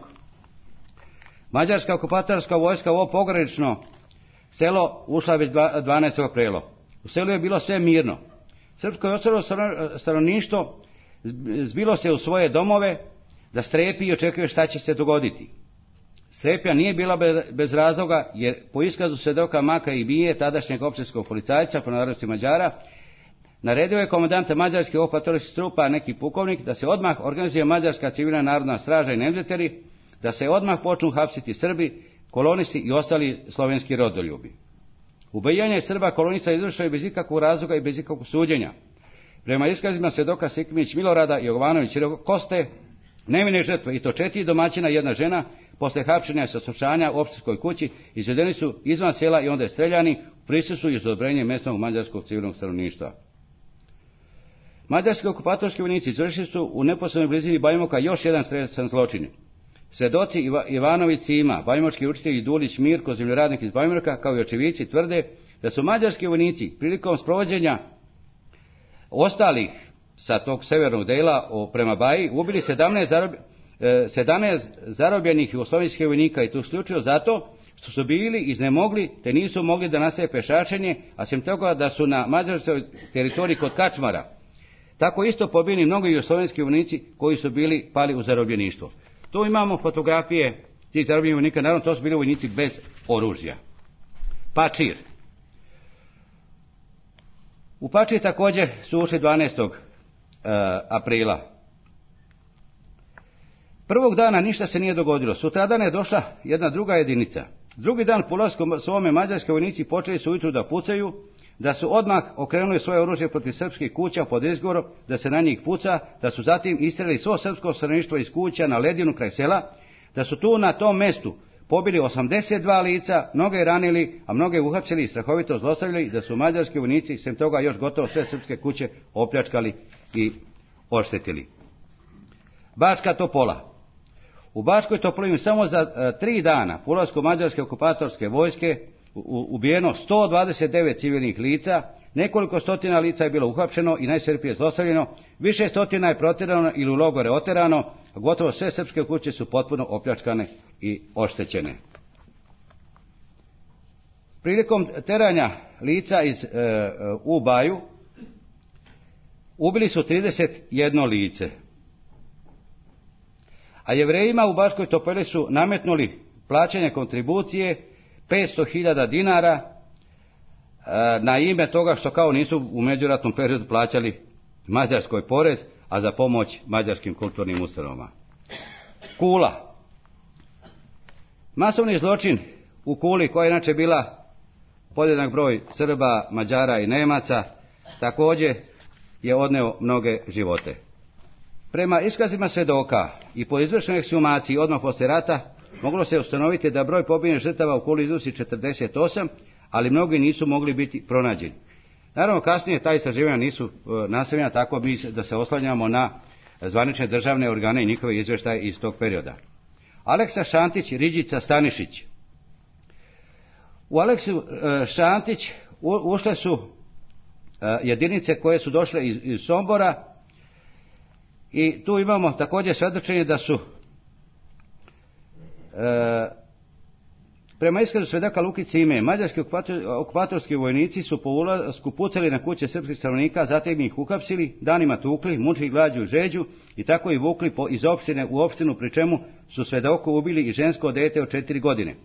Mađarska okupatorska vojska u ovo pogranično selo ušla već 12. aprila. U selu je bilo sve mirno. Srpsko i ostalo stanovništvo zbilo se u svoje domove da strepi i očekuje šta će se dogoditi. Strepnja nije bila bez razloga, jer po iskazu svedoka Maka i Bije, tadašnjeg općinskog policajca po narodnosti Mađara, naredio je komandanta mađarskih okupatorskih trupa, neki pukovnik, da se odmah organizuje mađarska civilna narodna straža i Nemzeteri, da se odmah počnu hapsiti Srbi, kolonisti i ostali slovenski rodoljubi. Ubijanje Srba kolonista izvršeno je bez ikakvog razloga i bez ikakvog suđenja. Prema iskazima svjedoka Sikimić Milorada i Jovanović Koste, nevine žrtve, i to 4 domaćina i 1 žena, posle hapšenja i saslušanja u opštinskoj kući, izvedeni su izvan sela i onda je streljani u prisustvu i uz odobrenje mjesnog mađarskog civilnog stanovništva. Mađarski okupatorski vojnici izvršili su u neposrednoj blizini Bajmoka još jedan stresan zločin. Svedoci Ivanović Sima, bajmočki učitelj i Dulić Mirko, zemljoradnik iz Bajmoka, kao i očevici, tvrde da su mađarski vojnici prilikom sprovođenja ostalih sa tog severnog dela prema Baji ubili 17 zarobljenih jugoslovenskih vojnika, i to isključivo zato što su bili iznemogli te nisu mogli da nastave pešačenje, a sem toga da su na mađarskoj teritoriji kod Kačmara tako isto pobijeni mnogi jugoslovenski vojnici koji su bili pali u zarobljeništvo. Tu imamo fotografije tih zarobljenih vojnika, naravno to su bili vojnici bez oružja. Pačir. U Pačir također su ušli 12. aprila. Prvog dana ništa se nije dogodilo. Sutradan je došla jedna druga jedinica. Drugi dan po ulasku svome mađarske vojnici počeli su ujutru da pucaju, da su odmah okrenuli svoje oružje protiv srpskih kuća pod izgovorom da se na njih puca, da su zatim istreli svo srpsko stanovništvo iz kuća na ledinu kraj sela, da su tu na tom mestu pobili 82 lica, mnoge ranili, a mnoge uhapsili i strahovito zlostavljali, da su mađarski vojnici sem toga još gotovo sve srpske kuće opljačkali i oštetili. Bačka Topola. U Bačkoj Topoli samo za 3 dana po ulasku mađarske okupatorske vojske ubijeno 129 civilnih lica, nekoliko stotina lica je bilo uhapšeno i najsrpije zlostavljeno, više stotina je protjerano ili u logore oterano, a gotovo sve srpske kuće su potpuno opljačkane i oštećene. Prilikom teranja lica u Baju ubili su 31 lice. A Jevrejima u Bačkoj Topoli su nametnuli plaćanje kontribucije 500.000 dinara na ime toga što kao nisu u međuratnom periodu plaćali Mađarskoj porez, a za pomoć mađarskim kulturnim ustanovama. Kula. Masovni zločin u Kuli, koja je inače bila podjednak broj Srba, Mađara i Nemaca, također je odneo mnoge živote. Prema iskazima svedoka i po izvršenoj ekshumaciji odmah poslije rata moglo se ustanoviti da broj pobijenih žrtava u Kuli iznosi 48, ali mnogi nisu mogli biti pronađeni. Naravno, kasnije ta istraživanja nisu nastavljena, tako da se oslanjamo na zvanične državne organe i njihove izvještaje iz tog perioda. Aleksa Šantić, Riđica Stanišić. U Aleksu Šantić ušle su jedinice koje su došle iz Sombora, i tu imamo također svjedočenje da su prema iskazu svedoka Luki Cime, mađarski okupatorski vojnici su po ulasku pucali na kuće srpskih stanovnika, zatim ih uhapsili, danima tukli, mučili glađu i žeđu i tako ih vukli iz opštine u opštinu, pri čemu su svedoku ubili i žensko dete od 4 godine.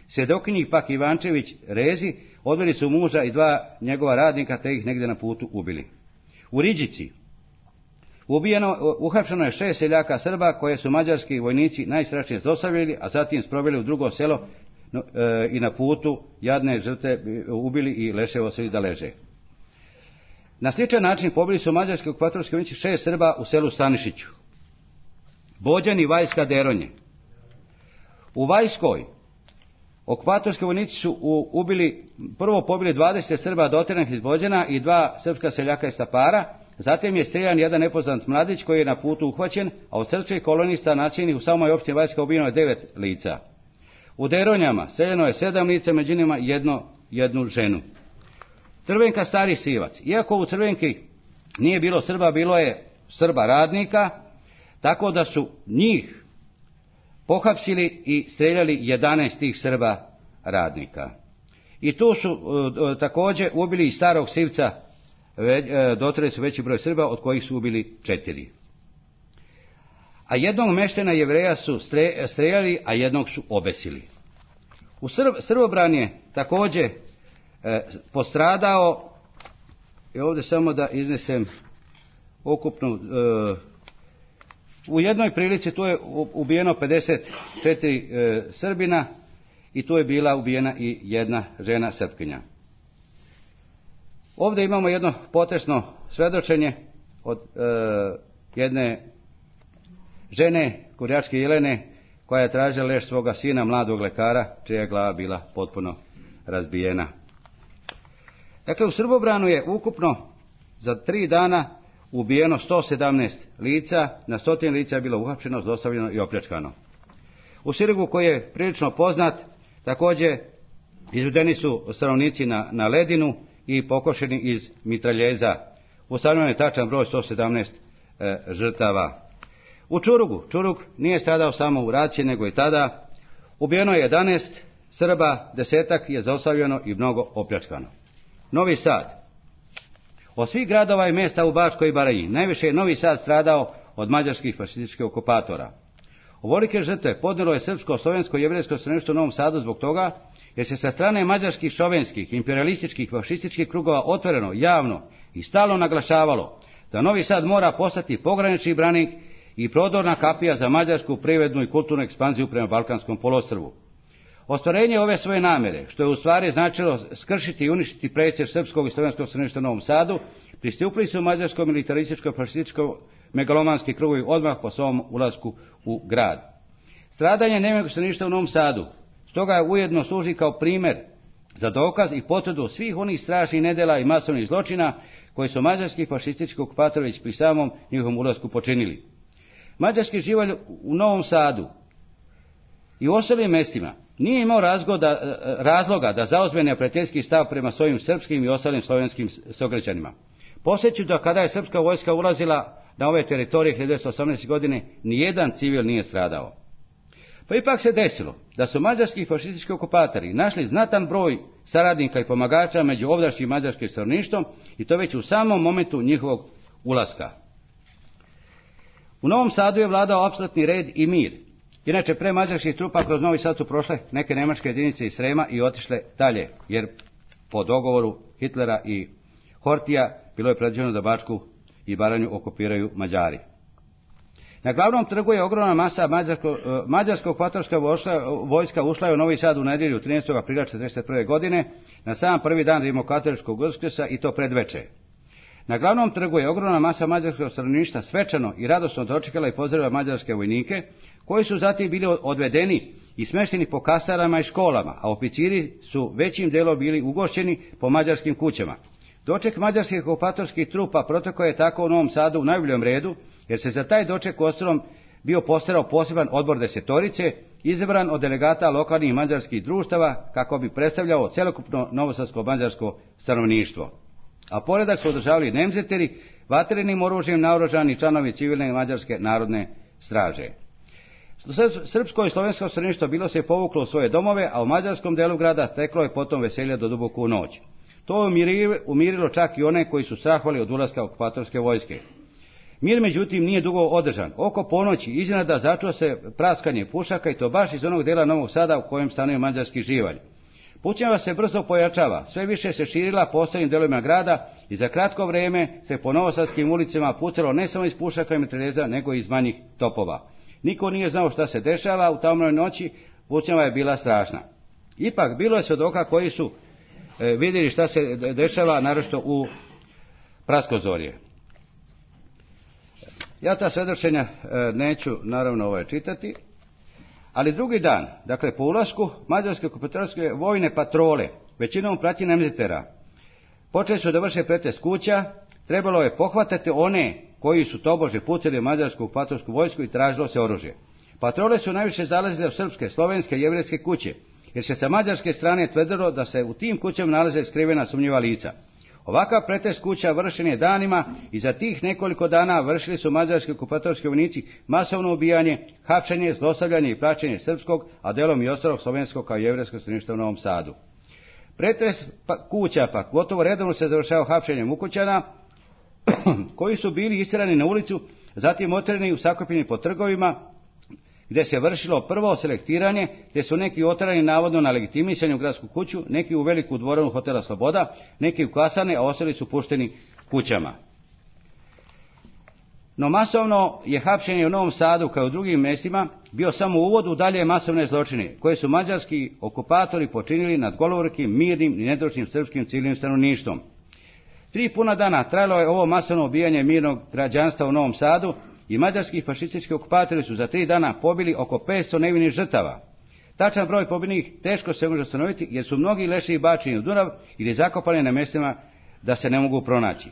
Svjedokinjih pak Ivančević Rezi odveli su muža i 2 njegova radnika te ih negdje na putu ubili. U Riđici uhapšeno je 6 seljaka Srba koje su mađarski vojnici najstrašnije zlostavljali, a zatim sproveli u drugo selo i na putu jadne žrtve ubili i leševo ostavili da leže. Na sličan način pobili su mađarski okupatorski vojnici 6 Srba u selu Stanišiću. Bođani, Vajska, Deronje. U Vajskoj okupatorski vojnici su prvo pobili 20 Srba doteranih iz Bođana i 2 srpska seljaka iz Stapara. Zatim je streljan jedan nepoznat mladić koji je na putu uhvaćen, a od srpskih kolonista nasilnih u samoj opštini Vajska ubijeno je 9 lica. U Deronjama streljano je 7 lica, među njima jednu ženu. Crvenka, Stari Sivac. Iako u Crvenki nije bilo Srba, bilo je Srba radnika, tako da su njih pohapsili i streljali 11 tih Srba radnika. I tu su također ubili i Starog Sivca, dotrali su veći broj Srba, od kojih su ubili 4. A jednog meštena Jevreja su streljali, a jednog su obesili. U Srbobran je također postradao, i ovdje samo da iznesem ukupnu U jednoj prilici tu je ubijeno 54 Srbina i tu je bila ubijena i jedna žena Srpkinja. Ovdje imamo jedno potresno svedočenje od jedne žene, Kurjačke Jelene, koja je tražila leš svoga sina, mladog lekara, čija je glava bila potpuno razbijena. Dakle, u Srbobranu je ukupno za 3 dana ubijeno 117 lica, na 100 lica je bilo uhapšeno, zlostavljeno i opljačkano. U Sirigu, koji je prilično poznat, također izvedeni su stanovnici na ledinu i pokošeni iz mitraljeza. Ustanovljen je tačan broj 117 žrtava. U Čurugu, Čurug nije stradao samo u raciji, nego i tada. Ubijeno je 11 Srba, 10 je zlostavljano i mnogo opljačkano. Novi Sad. Od svih gradova i mjesta u Bačkoj Baranji najviše je Novi Sad stradao od mađarskih fašističkih okupatora. Ovolike žrtve podnijelo je srpsko, slovensko i jevrejsko stanovništvo u Novom Sadu zbog toga jer se sa strane mađarskih, šovenskih, imperialističkih, fašističkih krugova otvoreno, javno i stalno naglašavalo da Novi Sad mora postati pogranični branik i prodorna kapija za mađarsku privrednu i kulturnu ekspanziju prema Balkanskom poluostrvu. Ostvarenje ove svoje namjere, što je u stvari značilo skršiti i uništiti presjeć srpskog i slovenskog stanovništva u Novom Sadu, pristupili su mađarskom militarističko fašističko megalomanski krugovi odmah po svom ulasku u grad. Stradanje nevjernog stanovništva u Novom Sadu stoga je ujedno služi kao primjer za dokaz i potvrdu svih onih strašnih nedjela i masovnih zločina koje su mađarski fašistički okupatori već pri samom njihovom ulasku počinili. Mađarski živalj u Novom Sadu i u ostalim mjestima nije imao razloga da zauzme neprijateljski stav prema svojim srpskim i ostalim slovenskim sugrađanima. Podsjeću da kada je srpska vojska ulazila na ove teritorije 1918. godine, nijedan civil nije stradao. Pa ipak se desilo da su mađarski fašistički okupatori našli znatan broj saradnika i pomagača među ovdašnjim mađarskim stanovništvom i to već u samom momentu njihovog ulaska. U Novom Sadu je vladao apsolutni red i mir. Inače, pre mađarskih trupa kroz Novi Sad su prošle neke nemačke jedinice iz Srema i otišle dalje, jer po dogovoru Hitlera i Hortija bilo je predviđeno da Bačku i Baranju okupiraju Mađari. Na glavnom trgu je ogromna masa mađarskog okupatorska vojska ušla je u Novi Sad u nedjelju 13. aprila 1941. godine, na sam prvi dan rimokatoličkog Uskrsa i to predveče. Na glavnom trgu je ogromna masa mađarskog stanovništva svečano i radosno dočekala i pozdravila mađarske vojnike, koji su zatim bili odvedeni i smješteni po kasarama i školama, a oficiri su većim dijelom bili ugošćeni po mađarskim kućama. Doček mađarskih okupatorskih trupa protekao je tako u Novom Sadu u najboljem redu, jer se za taj doček uostalom bio postarao poseban odbor desetorice, izabran od delegata lokalnih mađarskih društava, kako bi predstavljao cjelokupno novosadsko-mađarsko stanovništvo. A poredak su održavali nemzeteri, vatrenim oružjem naoružani članovi civilne mađarske narodne straže. Srpsko i slovensko stanovništvo bilo se povuklo u svoje domove, a u mađarskom delu grada teklo je potom veselje do duboku u noć. To je umirilo čak i one koji su strahovali od ulaska okupatorske vojske. Mir, međutim, nije dugo održan. Oko ponoći iznenada začuo se praskanje pušaka i to baš iz onog dela Novog Sada u kojem stanuje mađarski živalj. Pucnjava se brzo pojačava, sve više se širila po ostalim delovima grada i za kratko vrijeme se po novosadskim ulicama pucalo ne samo iz pušaka i mitraljeza, nego i iz manjih topova. Niko nije znao šta se dešava u tamnoj noći, pucnjava je bila strašna. Ipak bilo je svjedoka koji su vidjeli šta se dešava, naročito u Praskozorje. Ja ta svjedočenja neću naravno čitati, ali drugi dan, dakle po ulasku mađarske okupatorske vojne patrole, većinom prati nemzetera, počeli su da vrše pretres kuća, trebalo je pohvatati one koji su tobože pucali mađarsku okupatorsku vojsku i tražilo se oružje. Patrole su najviše zalazile u srpske, slovenske i jevrejske kuće, jer se sa mađarske strane tvrdilo da se u tim kućama nalaze skrivena sumnjiva lica. Ovakav pretres kuća vršen je danima i za tih nekoliko dana vršili su mađarski okupatorski vojnici masovno ubijanje, hapšenje, zlostavljanje i praćenje srpskog, a delom i ostalog slovenskog kao i jevrejskog stanovništva u Novom Sadu. Pretres kuća pak gotovo redovno se završao hapšenjem ukućana koji su bili istjerani na ulicu, zatim otjerani u sakupini po trgovima, gdje se vršilo prvo selektiranje, gdje su neki oterani navodno na legitimisanje u gradsku kuću, neki u veliku dvoranu hotela Sloboda, neki u kasarne, a ostali su pušteni kućama. No masovno je hapšenje u Novom Sadu kao u drugim mjestima bio samo uvod u dalje masovne zločine koje su mađarski okupatori počinili nad golorukim, mirnim i nedužnim srpskim civilnim stanovništvom. 3 puna dana trajalo je ovo masovno ubijanje mirnog građanstva u Novom Sadu i mađarski fašistički okupatori su za 3 dana pobili oko 500 nevinih žrtava. Tačan broj pobijenih teško se može ustanoviti jer su mnogi leševi bačeni u Dunav ili zakopani na mjestima da se ne mogu pronaći.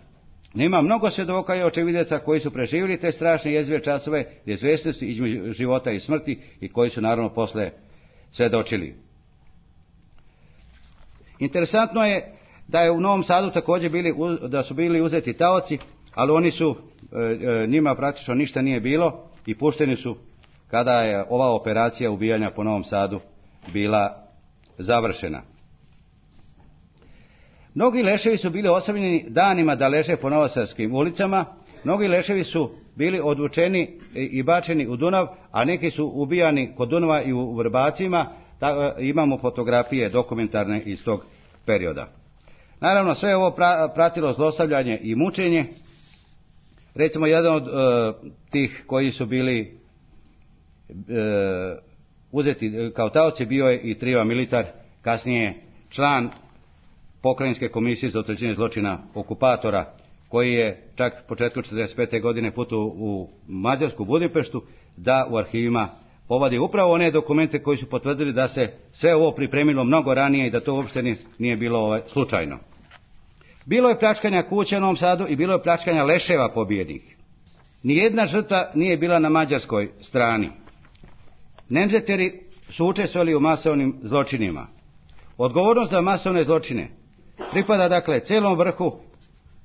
Nema mnogo svjedoka i očevidaca koji su preživjeli te strašne jezive časove neizvjesnosti između života i smrti i koji su naravno posle svjedočili. Interesantno je da je u Novom Sadu također da su bili uzeti taoci, ali oni su, njima praktično ništa nije bilo i pušteni su kada je ova operacija ubijanja po Novom Sadu bila završena. Mnogi leševi su bili ostavljeni danima da leže po novosadskim ulicama, mnogi leševi su bili odvučeni i bačeni u Dunav, a neki su ubijani kod Dunava i u Vrbacima, imamo fotografije dokumentarne iz tog perioda. Naravno, sve ovo pratilo zlostavljanje i mučenje. Recimo, jedan od tih koji su bili uzeti kao taoci bio je i Triva Militar, kasnije član Pokrajinske komisije za utvrđivanje zločina okupatora, koji je čak početkom 1945. godine putovao u Mađarsku Budimpeštu da u arhivima povadi upravo one dokumente koji su potvrdili da se sve ovo pripremilo mnogo ranije i da to uopšte nije bilo slučajno. Bilo je pljačkanja kuća u Novom Sadu i bilo je pljačkanja leševa pobijenih. Nijedna žrtva nije bila na mađarskoj strani. Nemzeteri su učestvovali u masovnim zločinima. Odgovornost za masovne zločine pripada dakle celom vrhu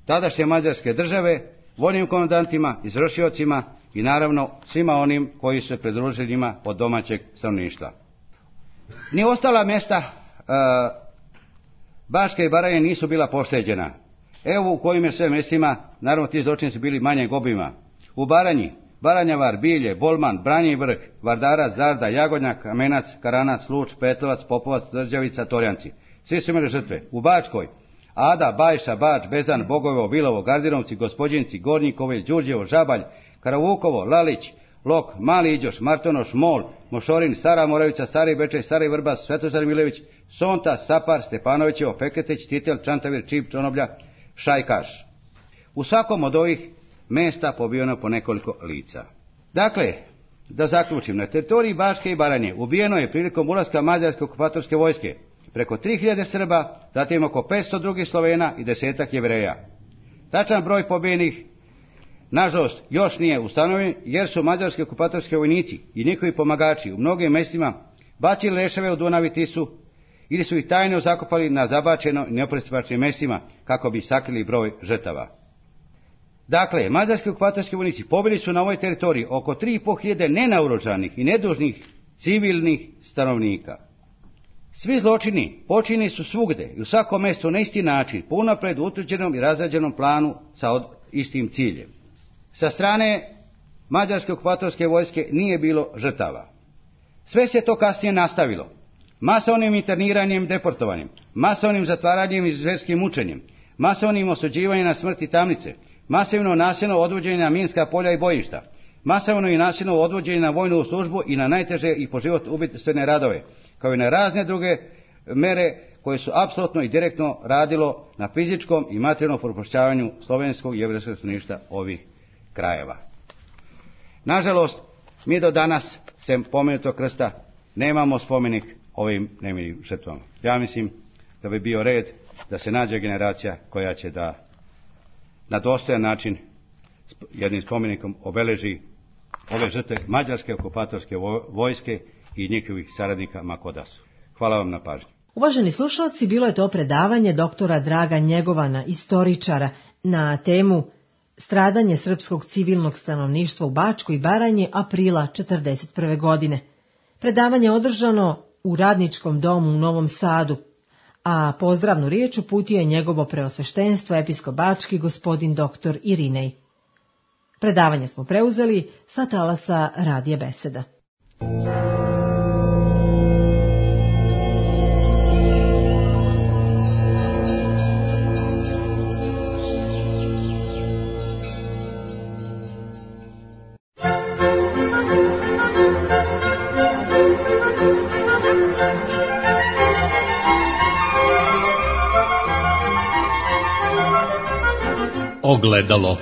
tadašnje mađarske države, vojnim komandantima, izvršiocima i naravno svima onim koji su se pridružili njima od domaćeg stanovništva. Ni ostala mjesta Bačke i Baranje nisu bila pošteđena. Evo u kojim je sve mjestima, naravno ti zločini su bili manjeg obima. U Baranji, Baranjavar, Bilje, Bolman, Branji vrh, Vardarac, Zarda, Jagodnjak, Kamenac, Karanac, Luč, Petrovac, Popovac, Drđavica, Torjanci. Svi su imali žrtve. U Bačkoj, Ada, Bajša, Bač, Bezan, Bogovo, Vilovo, Gardinovci, Gospođinci, Gornjikovi, Đurđevo, Žabalj, Karavukovo, Lalić, Lok, Mali Iđoš, Martonoš, Mol, Mošorin, Stara Moravica, Stari Bečej, Stari Vrbas, Svetozar Milević, Sonta, Sapar, Stepanovićevo, Feketić, Titel, Čantavir, Čip, Čonoblja, Šajkaš. U svakom od ovih mjesta pobijeno po nekoliko lica. Dakle, da zaključim, na teritoriji Bačke i Baranje ubijeno je prilikom ulaska mađarske okupatorske vojske preko 3000 Srba, zatim oko 500 drugih Slovena i 10-ak Jevreja. Tačan broj pobijenih, nažalost, još nije ustanovljen jer su mađarski okupatorski vojnici i njihovi pomagači u mnogim mjestima bacili leševe u Dunav i Tisu ili su ih tajno zakopali na zabačeno i nepristupačnim mjestima kako bi sakrili broj žrtava. Dakle, mađarski okupatorski vojnici pobili su na ovoj teritoriji oko 3500 nenaoružanih i nedužnih civilnih stanovnika. Svi zločini počinjeni su svugde i u svakom mjestu na isti način, po unaprijed utvrđenom i razrađenom planu sa istim ciljem. Sa strane mađarske okupatorske vojske nije bilo žrtava. Sve se to kasnije nastavilo. Masovnim interniranjem, deportovanjem, masovnim zatvaranjem i zverskim mučenjem, masovnim osuđivanjem na smrt i tamnice, masivno nasilno odvođenje na minska polja i bojišta, masovno i nasilno odvođenje na vojnu službu i na najteže i po život ubojstvene radove, kao i na razne druge mere koje su apsolutno i direktno radilo na fizičkom i materijalnom propuštavanju slovenskog i jevrejskog stanovništva ovih krajeva. Nažalost, mi do danas, sem pomenutog krsta, nemamo spomenik ovim nemilim žrtvama. Ja mislim da bi bio red da se nađe generacija koja će da na dostojan način jednim spomenikom obeleži ove žrtve mađarske okupatorske vojske i njihovih saradnika ma ko da su. Hvala vam na pažnji. Uvaženi slušalci, bilo je to predavanje doktora Draga Njegovana, istoričara, na temu Stradanje srpskog civilnog stanovništva u Bačkoj i Baranji aprila 1941. godine. Predavanje je održano u Radničkom domu u Novom Sadu, a pozdravnu riječ uputio je njegovo preosveštenstvo episkop Bački gospodin dr. Irinej. Predavanje smo preuzeli sa talasa Radija Beseda. Ogledalo.